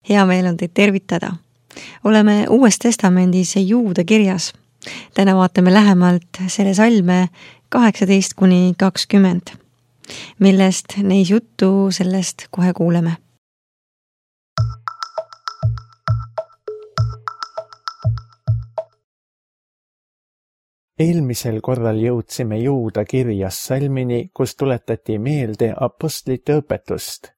Hea meel on teid tervitada. Oleme Uues Testamendis Juuda kirjas. Täna vaatame lähemalt selle salme 18-20, millest neis juttu sellest kohe kuuleme. Eelmisel korral jõudsime Juuda kirjas salmini, kus tuletati meelde apostlite õpetust.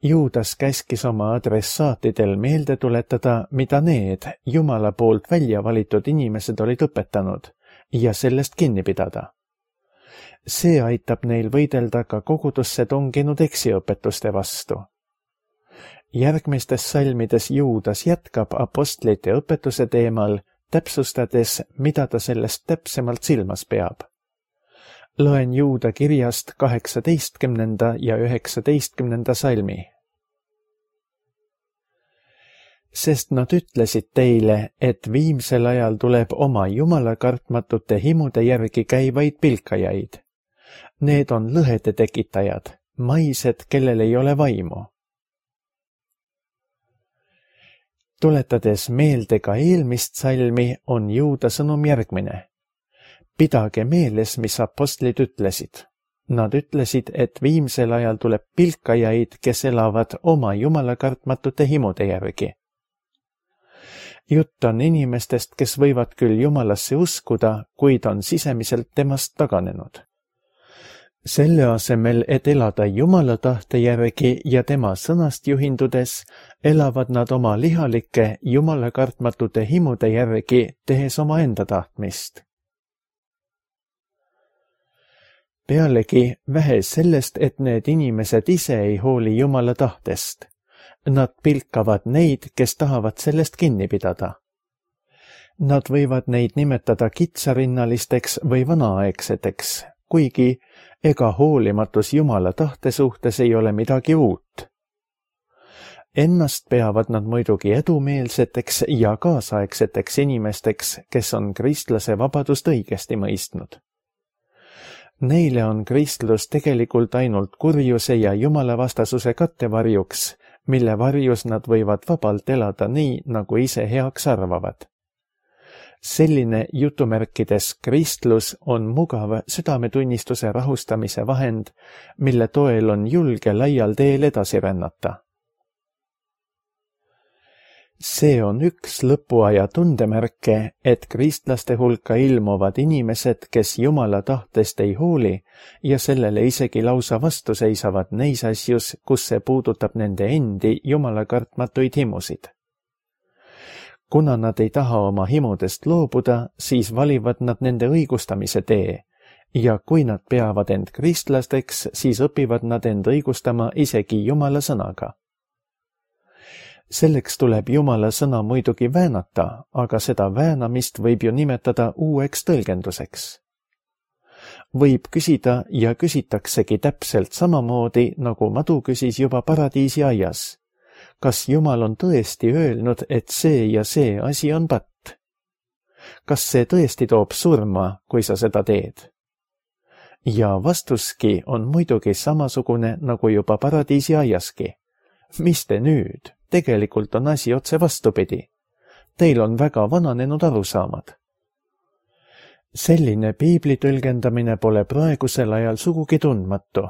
Juudas käskis oma adressaatidel meelde tuletada, mida need Jumala poolt välja valitud inimesed olid õpetanud ja sellest kinni pidada. See aitab neil võidelda ka kogudusse tunginud eksiõpetuste vastu. Järgmistes salmides Juudas jätkab apostlite õpetuse teemal, täpsustades, mida ta sellest täpsemalt silmas peab. Loen Juuda kirjast 18. ja 19. salmi. Sest nad ütlesid teile, et viimsel ajal tuleb oma jumalakartmatute himude järgi käivaid pilkajaid. Need on lõhede tekitajad, maised, kellel ei ole vaimu. Tuletades meelde ka eelmist salmi, on Juuda sõnum järgmine. Pidage meeles, mis apostlid ütlesid. Nad ütlesid, et viimsel ajal tuleb pilkajaid, kes elavad oma jumalakartmatute himude järgi. Jutt on inimestest, kes võivad küll Jumalasse uskuda, kuid on sisemiselt temast taganenud. Selle asemel, et elada Jumala tahte järgi ja tema sõnast juhindudes, elavad nad oma lihalike jumalakartmatute himude järgi, tehes omaenda tahtmist. Pealegi vähe sellest, et need inimesed ise ei hooli Jumala tahtest. Nad pilkavad neid, kes tahavad sellest kinni pidada. Nad võivad neid nimetada kitsarinnalisteks või vanaaegseteks, kuigi ega hoolimatus Jumala tahte suhtes ei ole midagi uut. Ennast peavad nad muidugi edumeelseteks ja kaasaegseteks inimesteks, kes on kristlase vabadust õigesti mõistnud. Neile on kristlus tegelikult ainult kurjuse ja jumalavastasuse kattevarjuks, mille varjus nad võivad vabalt elada nii, nagu ise heaks arvavad. Selline jutumärkides kristlus on mugav südametunnistuse rahustamise vahend, mille toel on julge laial teel edasi rännata. See on üks lõpuaja tundemärke, et kristlaste hulka ilmuvad inimesed, kes Jumala tahtest ei hooli ja sellele isegi lausa vastu seisavad neis asjus, kus see puudutab nende endi jumalakartmatuid himusid. Kuna nad ei taha oma himudest loobuda, siis valivad nad nende õigustamise tee ja kui nad peavad end kristlasteks, siis õpivad nad end õigustama isegi Jumala sõnaga. Selleks tuleb Jumala sõna muidugi väänata, aga seda väänamist võib ju nimetada uueks tõlgenduseks. Võib küsida ja küsitaksegi täpselt samamoodi, nagu madu küsis juba paradiisi aias. Kas Jumal on tõesti öelnud, et see ja see asi on patt? Kas see tõesti toob surma, kui sa seda teed? Ja vastuski on muidugi samasugune, nagu juba paradiisi aiaski. Mis te nüüd? Tegelikult on asi otse vastupidi. Teil on väga vananenud arusaamad. Selline piibli tõlgendamine pole praegusel ajal sugugi tundmatu.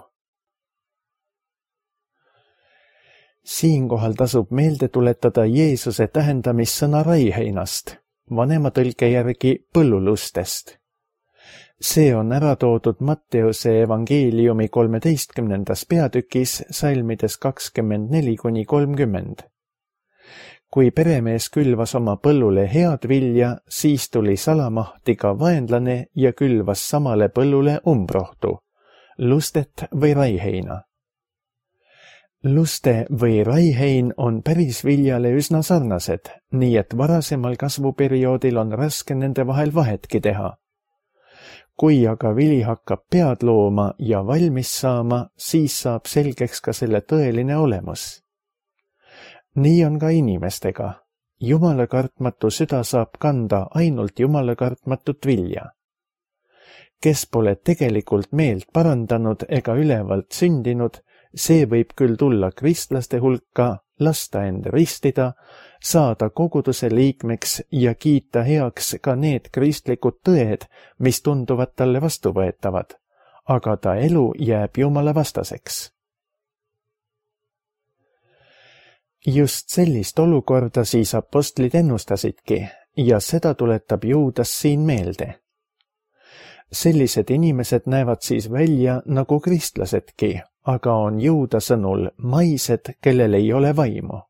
Siinkohal tasub meelde tuletada Jeesuse tähendamissõna raiheinast, vanema tõlke järgi põllulustest. See on ära toodud Matteuse evangeeliumi 13. peatükis salmides 24-30. Kui peremees külvas oma põllule head vilja, siis tuli salamahtiga vaenlane ja külvas samale põllule umbrohtu, lustet või raiheina. Luste või raihein on päris viljale üsna sarnased, nii et varasemal kasvuperioodil on raske nende vahel vahetki teha. Kui aga vili hakkab pead looma ja valmis saama, siis saab selgeks ka selle tõeline olemus. Nii on ka inimestega. Jumalakartmatu süda saab kanda ainult jumalakartmatut vilja. Kes pole tegelikult meelt parandanud ega ülevalt sündinud, see võib küll tulla kristlaste hulka, lasta end ristida, saada koguduse liikmeks ja kiita heaks ka need kristlikud tõed, mis tunduvad talle vastuvõetavad, aga ta elu jääb Jumala vastaseks. Just sellist olukorda siis apostlid ennustasidki ja seda tuletab Juudas siin meelde. Sellised inimesed näevad siis välja nagu kristlasedki, aga on Juuda sõnul maised, kellel ei ole vaimu.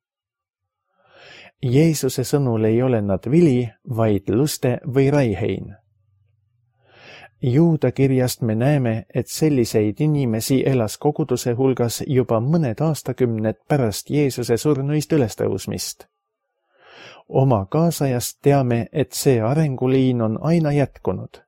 Jeesuse sõnul ei ole nad vili, vaid luste või raihein. Juuda kirjast me näeme, et selliseid inimesi elas koguduse hulgas juba mõned aastakümned pärast Jeesuse surnuist ülestõusmist. Oma kaasajast teame, et see arenguliin on aina jätkunud.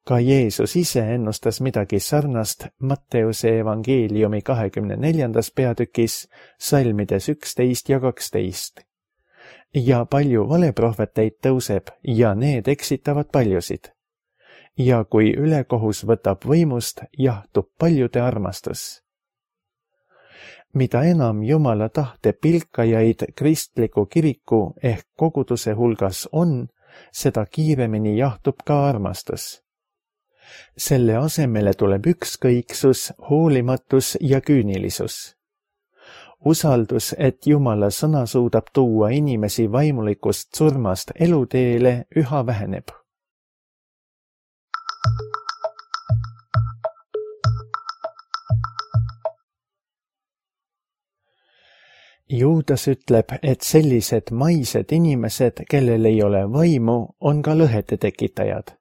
Ka Jeesus ise ennustas midagi sarnast Matteuse evangeeliumi 24. peatükis, salmides 11 ja 12. Ja palju valeprohveteid tõuseb ja need eksitavad paljusid. Ja kui ülekohus võtab võimust, jahtub paljude armastus. Mida enam Jumala tahte pilkajaid kristliku kiriku ehk koguduse hulgas on, seda kiiremini jahtub ka armastus. Selle asemele tuleb ükskõiksus, hoolimatus ja küünilisus. Usaldus, et Jumala sõna suudab tuua inimesi vaimulikust surmast eluteele, üha väheneb. Juudas ütleb, et sellised maised inimesed, kellel ei ole vaimu, on ka lõhede tekitajad.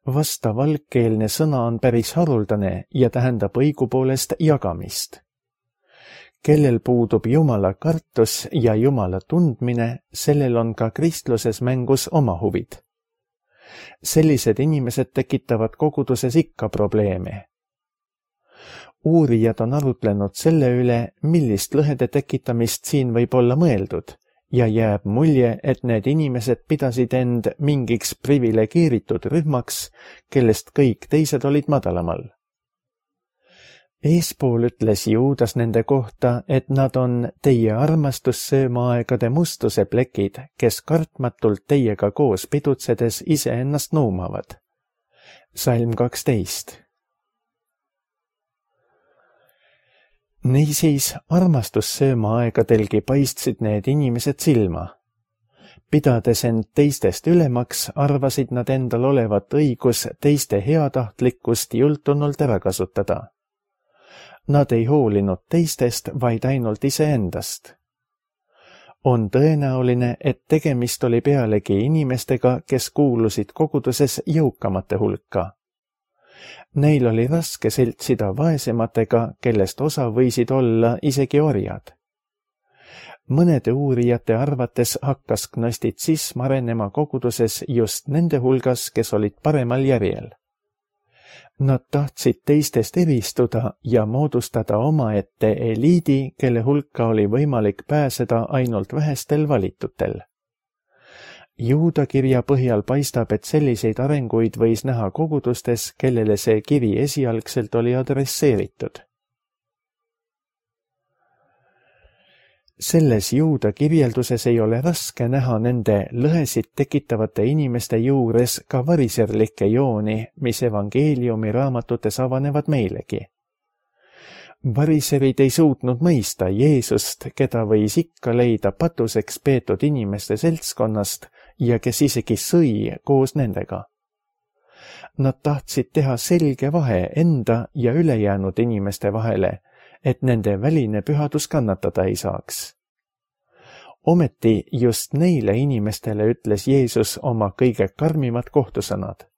Vastav algkeelne sõna on päris haruldane ja tähendab õigupoolest jagamist. Kellel puudub Jumala kartus ja Jumala tundmine, sellel on ka kristluses mängus oma huvid. Sellised inimesed tekitavad koguduses ikka probleeme. Uurijad on arutlenud selle üle, millist lõhede tekitamist siin võib olla mõeldud, ja jääb mulje, et need inimesed pidasid end mingiks privilegeeritud rühmaks, kellest kõik teised olid madalamal. Eespool ütles Juudas nende kohta, et nad on teie armastussöömaaegade mustuse plekid, kes kartmatult teiega koos pidutsedes iseennast nuumavad. Salm 12. Niisiis armastussöömaaegadelgi paistsid need inimesed silma. Pidades end teistest ülemaks, arvasid nad endal olevat õigus teiste heatahtlikkust jultunult ära kasutada. Nad ei hoolinud teistest, vaid ainult iseendast. On tõenäoline, et tegemist oli pealegi inimestega, kes kuulusid koguduses jõukamate hulka. Neil oli raske seltsida vaesematega, kellest osa võisid olla isegi orjad. Mõnede uurijate arvates hakkas gnostitsism arenema koguduses just nende hulgas, kes olid paremal järjel. Nad tahtsid teistest eristuda ja moodustada omaette eliidi, kelle hulka oli võimalik pääseda ainult vähestel valitutel. Juuda kirja põhjal paistab, et selliseid arenguid võis näha kogudustes, kellele see kiri esialgselt oli adresseeritud. Selles Juuda kirjelduses ei ole raske näha nende lõhesid tekitavate inimeste juures ka variserlikke jooni, mis evangeeliumi raamatutes avanevad meilegi. Variserid ei suutnud mõista Jeesust, keda võis ikka leida patuseks peetud inimeste seltskonnast ja kes isegi sõi koos nendega. Nad tahtsid teha selge vahe enda ja ülejäänud inimeste vahele, et nende väline pühadus kannatada ei saaks. Ometi just neile inimestele ütles Jeesus oma kõige karmimad kohtusõnad.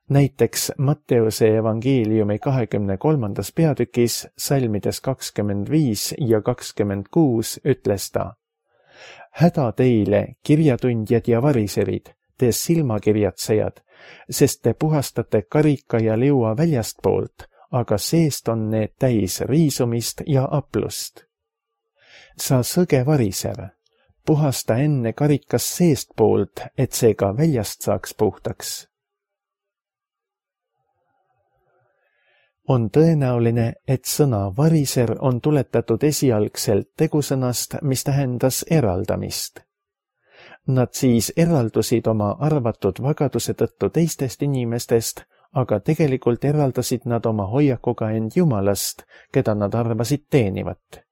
Näiteks Matteuse evangeeliumi 23. peatükis, salmides 25 ja 26 ütles ta: Häda teile, kirjatundjad ja variserid, te silmakirjatsejad, sest te puhastate karika ja liua väljastpoolt, aga seest on need täis riisumist ja aplust. Sa sõge variser, puhasta enne karikas seestpoolt, et see ka väljast saaks puhtaks. On tõenäoline, et sõna variser on tuletatud esialgselt tegusõnast, mis tähendas eraldamist. Nad siis eraldusid oma arvatud vagaduse tõttu teistest inimestest, aga tegelikult eraldasid nad oma hoiakuga end Jumalast, keda nad arvasid teenivat.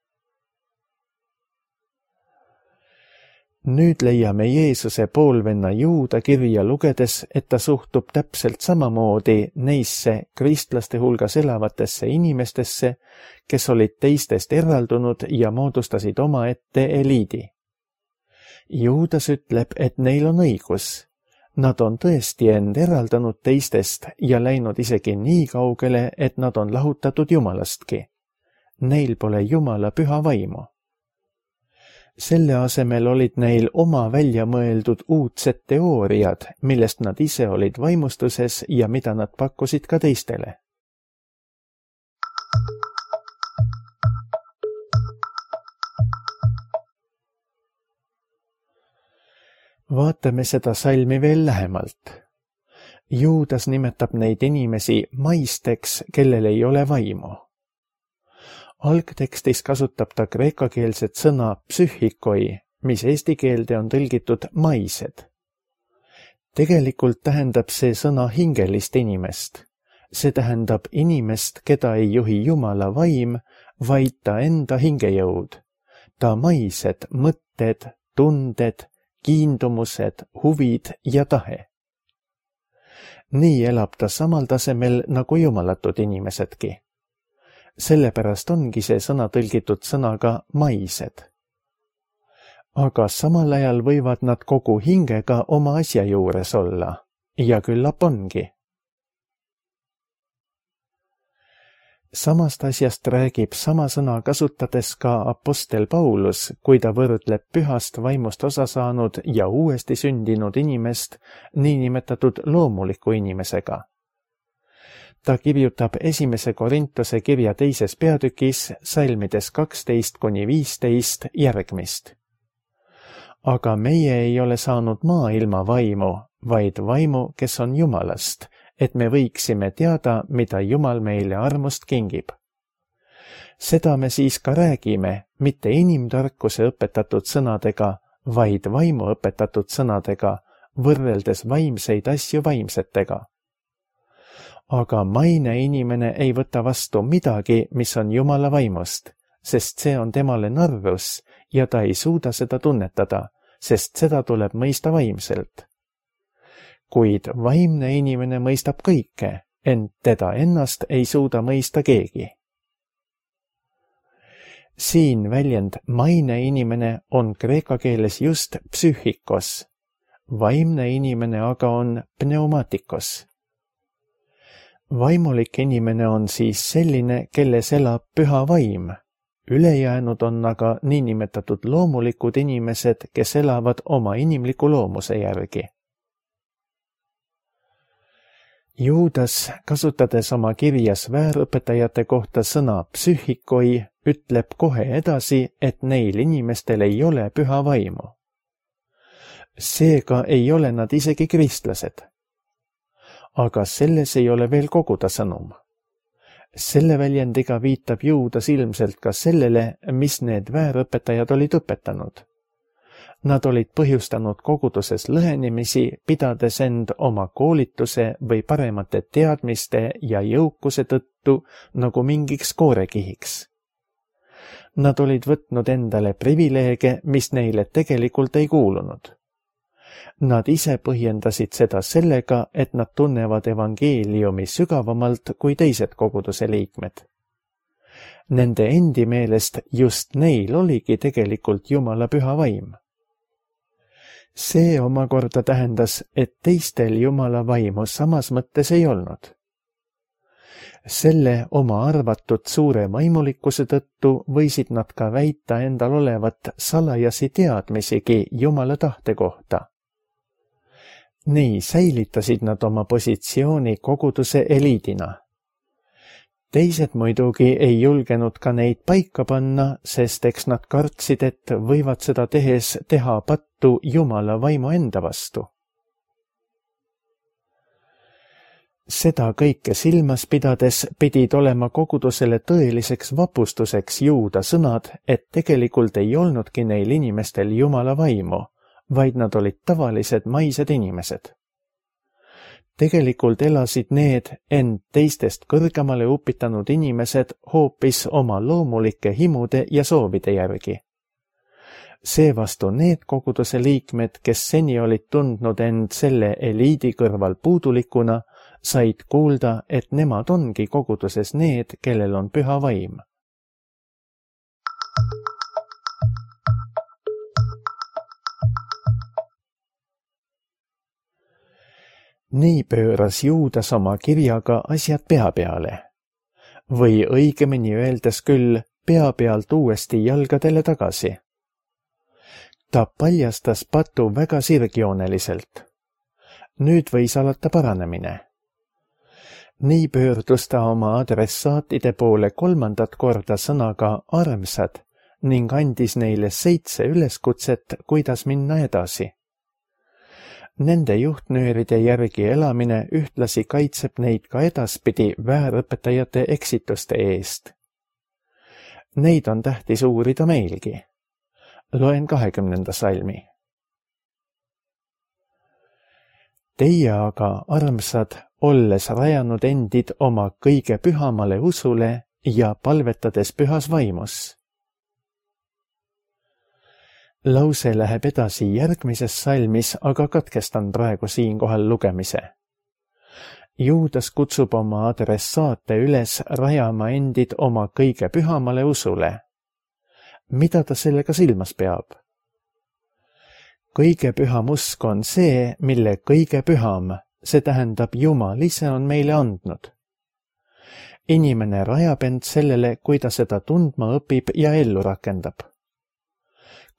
Nüüd leiame Jeesuse poolvenna Juuda kirja lugedes, et ta suhtub täpselt samamoodi neisse kristlaste hulgas elavatesse inimestesse, kes olid teistest eraldunud ja moodustasid omaette eliidi. Juudas ütleb, et neil on õigus. Nad on tõesti end eraldanud teistest ja läinud isegi nii kaugele, et nad on lahutatud Jumalastki. Neil pole Jumala püha vaimu. Selle asemel olid neil oma välja mõeldud uudsed teooriad, millest nad ise olid vaimustuses ja mida nad pakkusid ka teistele. Vaatame seda salmi veel lähemalt. Juudas nimetab neid inimesi maisteks, kellel ei ole vaimu. Algtekstis kasutab ta kreekakeelset sõna psühhikoi, mis eesti keelde on tõlgitud maised. Tegelikult tähendab see sõna hingelist inimest. See tähendab inimest, keda ei juhi Jumala vaim, vaid ta enda hingejõud. Ta maised, mõtted, tunded, kiindumused, huvid ja tahe. Nii elab ta samal tasemel nagu jumalatud inimesedki. Sellepärast ongi see sõna tõlgitud sõnaga maised. Aga samal ajal võivad nad kogu hingega oma asja juures olla, ja küllap ongi. Samast asjast räägib sama sõna kasutades ka apostel Paulus, kui ta võrdleb pühast vaimust osa saanud ja uuesti sündinud inimest niinimetatud loomuliku inimesega. Ta kirjutab 1. Korintuse kirja 2. peatükis salmides 12-15 järgmist. Aga meie ei ole saanud maailma vaimu, vaid vaimu, kes on Jumalast, et me võiksime teada, mida Jumal meile armust kingib. Seda me siis ka räägime, mitte inimtarkuse õpetatud sõnadega, vaid vaimu õpetatud sõnadega, võrreldes vaimseid asju vaimsetega. Aga maine inimene ei võta vastu midagi, mis on Jumala vaimust, sest see on temale narrus ja ta ei suuda seda tunnetada, sest seda tuleb mõista vaimselt. Kuid vaimne inimene mõistab kõike, ent teda ennast ei suuda mõista keegi. Siin väljend maine inimene on kreeka keeles just psühhikos, vaimne inimene aga on pneumatikos. Vaimulik inimene on siis selline, kelles elab püha vaim. Ülejäänud on aga niinimetatud loomulikud inimesed, kes elavad oma inimliku loomuse järgi. Juudas, kasutades oma kirjas väärõpetajate kohta sõna psühhikoi, ütleb kohe edasi, et neil inimestel ei ole püha vaimu. Seega ei ole nad isegi kristlased. Aga selles ei ole veel kogu ta sõnum. Selle väljendiga viitab Juudas ilmselt ka sellele, mis need väärõpetajad olid õpetanud. Nad olid põhjustanud koguduses lõhenemisi, pidades end oma koolituse või paremate teadmiste ja jõukuse tõttu nagu mingiks koorekihiks. Nad olid võtnud endale privileege, mis neile tegelikult ei kuulunud. Nad ise põhjendasid seda sellega, et nad tunnevad evangeeliumi sügavamalt kui teised koguduse liikmed. Nende endi meelest just neil oligi tegelikult Jumala püha vaim. See omakorda tähendas, et teistel Jumala vaimu samas mõttes ei olnud. Selle oma arvatud suure vaimulikkuse tõttu võisid nad ka väita endal olevat salajasi teadmisigi Jumala tahte kohta. Nii säilitasid nad oma positsiooni koguduse eliidina. Teised muidugi ei julgenud ka neid paika panna, sest eks nad kartsid, et võivad seda tehes teha pattu Jumala vaimu enda vastu. Seda kõike silmas pidades pidid olema kogudusele tõeliseks vapustuseks Juuda sõnad, et tegelikult ei olnudki neil inimestel Jumala vaimu, vaid nad olid tavalised maised inimesed. Tegelikult elasid need end teistest kõrgemale upitanud inimesed hoopis oma loomulike himude ja soovide järgi. Seevastu need koguduse liikmed, kes seni olid tundnud end selle eliidi kõrval puudulikuna, said kuulda, et nemad ongi koguduses need, kellel on püha vaim. Nii pööras Juudas oma kirjaga asjad pea peale. Või õigemini öeldes küll pea pealt uuesti jalgadele tagasi. Ta paljastas patu väga sirgjooneliselt. Nüüd võis alata paranemine. Nii pöördus ta oma adressaatide poole 3. korda sõnaga armsad ning andis neile 7 üleskutset, kuidas minna edasi. Nende juhtnööride järgi elamine ühtlasi kaitseb neid ka edaspidi väärõpetajate eksituste eest. Neid on tähtis uurida meilgi. Loen 20. salmi. Teie aga, armsad, olles rajanud endid oma kõige pühamale usule ja palvetades pühas vaimus. Lause läheb edasi järgmises salmis, aga katkestan praegu siinkohal lugemise. Juudas kutsub oma adressaate üles rajama endid oma kõige pühamale usule. Mida ta sellega silmas peab? Kõige püham usk on see, mille kõige püham, see tähendab Jumal ise on meile andnud. Inimene rajab end sellele, kui ta seda tundma õpib ja ellu rakendab.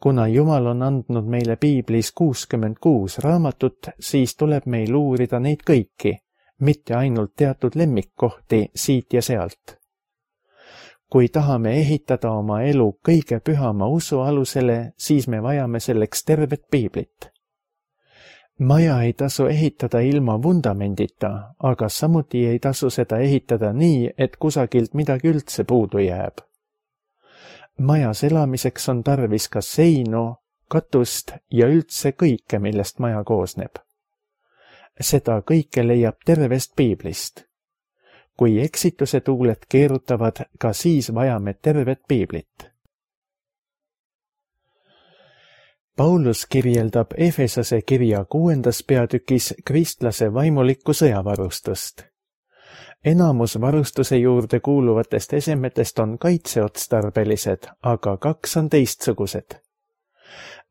Kuna Jumal on andnud meile Piiblis 66 raamatut, siis tuleb meil uurida neid kõiki, mitte ainult teatud lemmikkohti siit ja sealt. Kui tahame ehitada oma elu kõige pühama usu alusele, siis me vajame selleks tervet Piiblit. Maja ei tasu ehitada ilma vundamendita, aga samuti ei tasu seda ehitada nii, et kusagilt midagi üldse puudu jääb. Majas elamiseks on tarvis ka seinu, katust ja üldse kõike, millest maja koosneb. Seda kõike leiab tervest Piiblist. Kui eksituse tuuled keerutavad, ka siis vajame tervet Piiblit. Paulus kirjeldab Efesose kirja 6. peatükis kristlase vaimulikku sõjavarustust. Enamus varustuse juurde kuuluvatest esemetest on kaitseotstarbelised, aga 2 on teistsugused.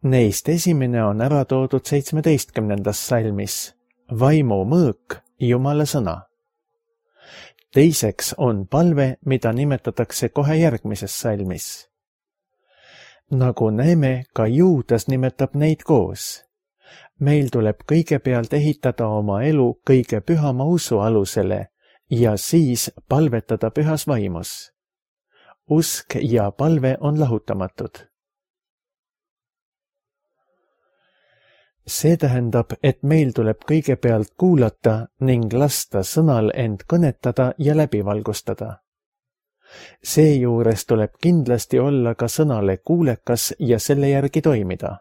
Neist esimene on ära toodud 17. salmis, vaimu mõõk, Jumala sõna. Teiseks on palve, mida nimetatakse kohe järgmises salmis. Nagu näeme, ka Juudas nimetab neid koos. Meil tuleb kõigepealt ehitada oma elu kõige pühama usu alusele ja siis palvetada pühas vaimus. Usk ja palve on lahutamatud. See tähendab, et meil tuleb kõigepealt kuulata ning lasta sõnal end kõnetada ja läbi valgustada. Seejuures tuleb kindlasti olla ka sõnale kuulekas ja selle järgi toimida.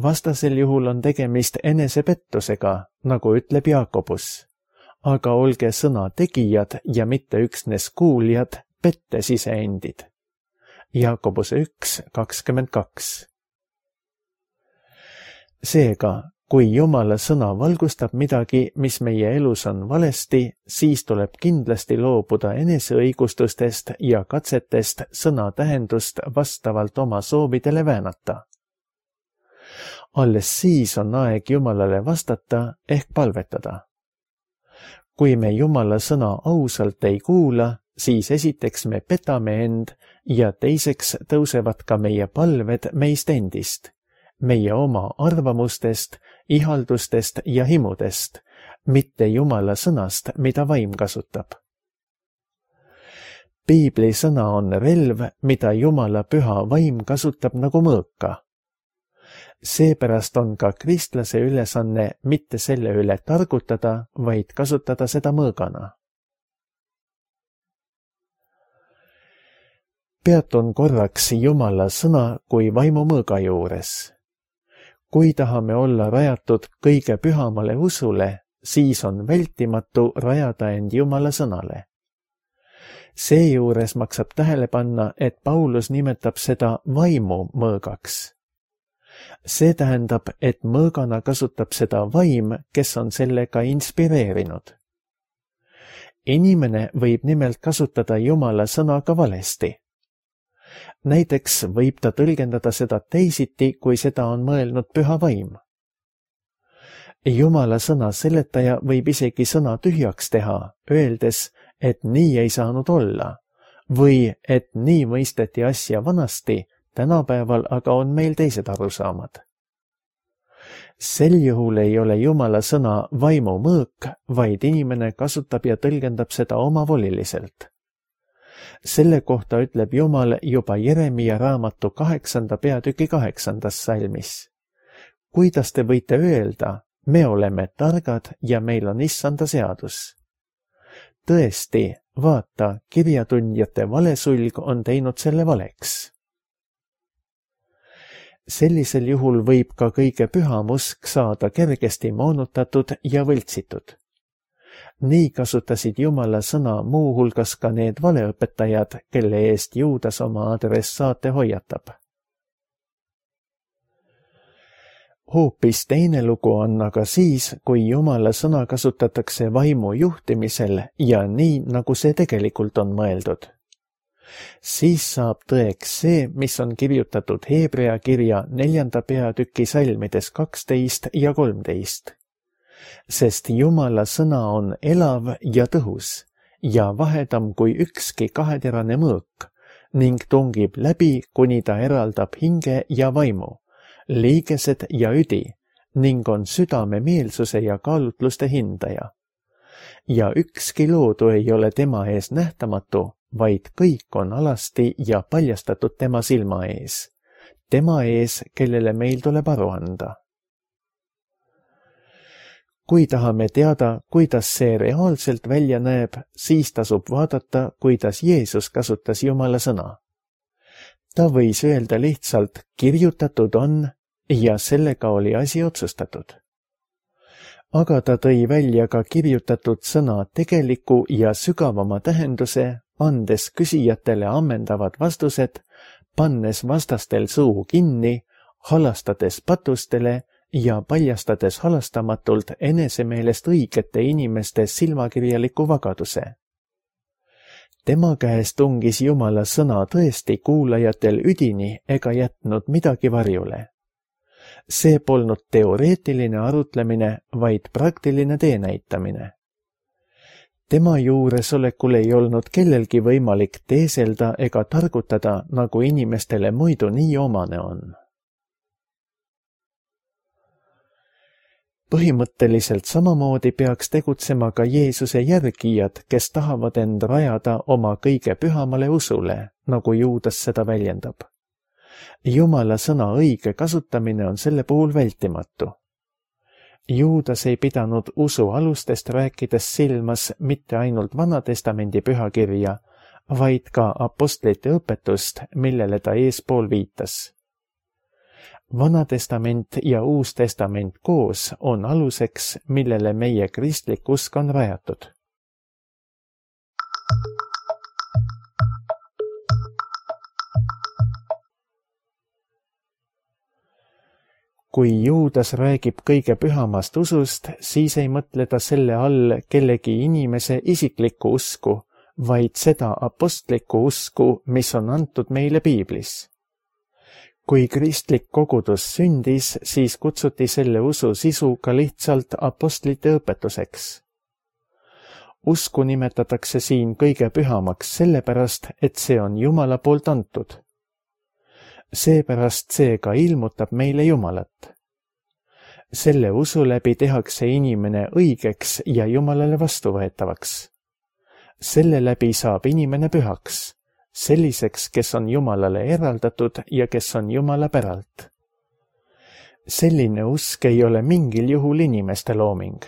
Vastasel juhul on tegemist enesepettusega, nagu ütleb Jaakobus. Aga olge sõna tegijad ja mitte üksnes kuuljad, pettes iseendid. Jaakobuse 1:22. Seega, kui Jumala sõna valgustab midagi, mis meie elus on valesti, siis tuleb kindlasti loobuda eneseõigustustest ja katsetest sõna tähendust vastavalt oma soovidele väänata. Alles siis on aeg Jumalale vastata ehk palvetada. Kui me Jumala sõna ausalt ei kuula, siis esiteks me petame end ja teiseks tõusevad ka meie palved meist endist, meie oma arvamustest, ihaldustest ja himudest, mitte Jumala sõnast, mida vaim kasutab. Piibli sõna on relv, mida Jumala püha vaim kasutab nagu mõõka. Seepärast on ka kristlase ülesanne mitte selle üle targutada, vaid kasutada seda mõõgana. Peatun korraks Jumala sõna kui vaimumõõga juures. Kui tahame olla rajatud kõige pühamale usule, siis on vältimatu rajada end Jumala sõnale. Seejuures maksab tähele panna, et Paulus nimetab seda vaimumõõgaks. See tähendab, et mõõgana kasutab seda vaim, kes on sellega inspireerinud. Inimene võib nimelt kasutada Jumala sõna ka valesti. Näiteks võib ta tõlgendada seda teisiti, kui seda on mõelnud püha vaim. Jumala sõna seletaja võib isegi sõna tühjaks teha, öeldes, et nii ei saanud olla, või et nii mõisteti asja vanasti, tänapäeval aga on meil teised arusaamad. Sel juhul ei ole Jumala sõna vaimumõõk, vaid inimene kasutab ja tõlgendab seda omavoliliselt. Selle kohta ütleb Jumal juba Jeremia raamatu 8. peatüki 8. salmis. Kuidas te võite öelda, me oleme targad ja meil on issanda seadus? Tõesti, vaata, kirjatundjate valesulg on teinud selle valeks. Sellisel juhul võib ka kõige püham usk saada kergesti moonutatud ja võltsitud. Nii kasutasid Jumala sõna muuhulgas ka need valeõpetajad, kelle eest Juudas oma adressaate hoiatab. Hoopis teine lugu on aga siis, kui Jumala sõna kasutatakse vaimu juhtimisel ja nii, nagu see tegelikult on mõeldud. Siis saab tõeks see, mis on kirjutatud Hebrea kirja 4. peatüki salmides 12 ja 13. Sest Jumala sõna on elav ja tõhus ja vahedam kui ükski kaheterane mõõk ning tungib läbi, kuni ta eraldab hinge ja vaimu, liigesed ja üdi ning on südame meelsuse ja kaalutluste hindaja. Ja ükski loodu ei ole tema ees nähtamatu, vaid kõik on alasti ja paljastatud tema silma ees, tema ees, kellele meil tuleb aru anda. Kui tahame teada, kuidas see reaalselt välja näeb, siis tasub vaadata, kuidas Jeesus kasutas Jumala sõna. Ta võis öelda lihtsalt, kirjutatud on, ja sellega oli asi otsustatud. Aga ta tõi välja ka kirjutatud sõna tegeliku ja sügavama tähenduse, andes küsijatele ammendavad vastused, pannes vastastel suu kinni, halastades patustele ja paljastades halastamatult enesemeelest õigete inimeste silmakirjaliku vagaduse. Tema käest tungis Jumala sõna tõesti kuulajatel üdini ega jätnud midagi varjule. See polnud teoreetiline arutlemine, vaid praktiline teenäitamine. Tema juuresolekul ei olnud kellelgi võimalik teeselda ega targutada, nagu inimestele muidu nii omane on. Põhimõtteliselt samamoodi peaks tegutsema ka Jeesuse järgijad, kes tahavad end rajada oma kõige pühamale usule, nagu Juudas seda väljendab. Jumala sõna õige kasutamine on selle puhul vältimatu. Juudas ei pidanud usu alustest rääkides silmas mitte ainult Vanatestamendi pühakirja, vaid ka apostlite õpetust, millele ta eespool viitas. Vanatestament ja Uus Testament koos on aluseks, millele meie kristlik usk on rajatud. Kui Juudas räägib kõige pühamast usust, siis ei mõtle ta selle all kellegi inimese isiklikku usku, vaid seda apostlikku usku, mis on antud meile piiblis. Kui kristlik kogudus sündis, siis kutsuti selle usu sisu ka lihtsalt apostlite õpetuseks. Usku nimetatakse siin kõige pühamaks sellepärast, et see on Jumala poolt antud. Seepärast see ka ilmutab meile Jumalat. Selle usu läbi tehakse inimene õigeks ja Jumalale vastuvõetavaks. Selle läbi saab inimene pühaks, selliseks, kes on Jumalale eraldatud ja kes on Jumala päralt. selline usk ei ole mingil juhul inimeste looming.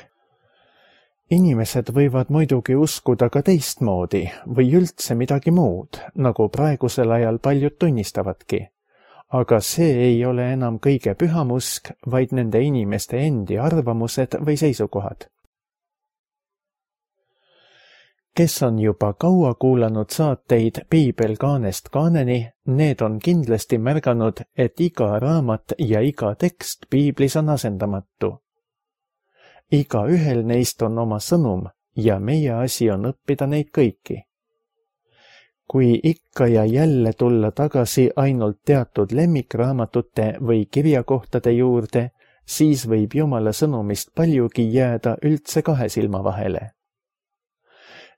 Inimesed võivad muidugi uskuda ka teistmoodi või üldse midagi muud, nagu praegusel ajal paljud tunnistavadki. Aga see ei ole enam kõige püham usk, vaid nende inimeste endi arvamused või seisukohad. Kes on juba kaua kuulanud saateid Piibel kaanest kaaneni, need on kindlasti märganud, et iga raamat ja iga tekst Piiblis on asendamatu. Iga ühel neist on oma sõnum ja meie asi on õppida neid kõiki. Kui ikka ja jälle tulla tagasi ainult teatud lemmikraamatute või kirjakohtade juurde, siis võib Jumala sõnumist paljugi jääda üldse kahe silma vahele.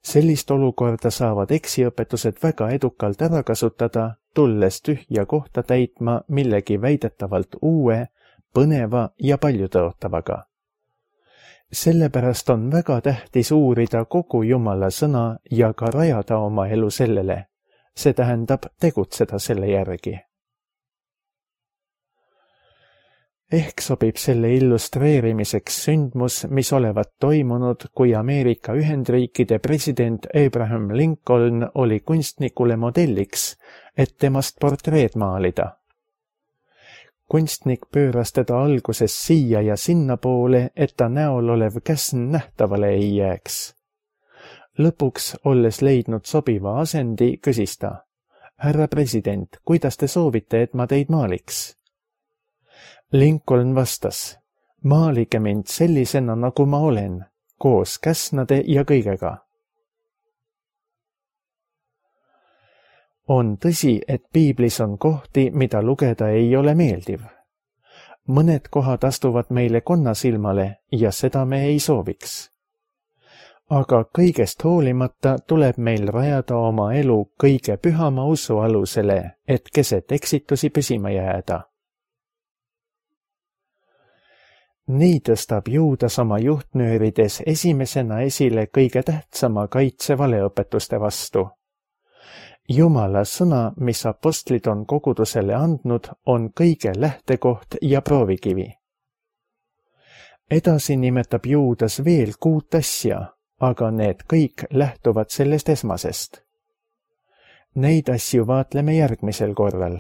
Sellist olukorda saavad eksiõpetused väga edukalt ära kasutada, tulles tühja kohta täitma millegi väidetavalt uue, põneva ja paljutõotavaga. Sellepärast on väga tähtis uurida kogu Jumala sõna ja ka rajada oma elu sellele. See tähendab tegutseda selle järgi. Ehk sobib selle illustreerimiseks sündmus, mis olevat toimunud, kui Ameerika Ühendriikide president Abraham Lincoln oli kunstnikule modelliks, et temast portreed maalida. Kunstnik pööras teda alguses siia ja sinna poole, et ta näol olev käsn nähtavale ei jääks. Lõpuks, olles leidnud sobiva asendi, küsis ta: "Härra president, kuidas te soovite, et ma teid maaliks?" Lincoln vastas: "Maalige mind sellisena, nagu ma olen, koos käsnade ja kõigega." On tõsi, et Piiblis on kohti, mida lugeda ei ole meeldiv. Mõned kohad astuvad meile konnasilmale ja seda me ei sooviks. Aga kõigest hoolimata tuleb meil rajada oma elu kõige pühama usu alusele, et keset eksitusi püsima jääda. Nii tõstab Juudas oma juhtnöörides esimesena esile kõige tähtsama kaitse valeõpetuste vastu. Jumala sõna, mis apostlid on kogudusele andnud, on kõige lähtekoht ja proovikivi. Edasi nimetab Juudas veel 6 asja, aga need kõik lähtuvad sellest esmasest. Neid asju vaatleme järgmisel korral.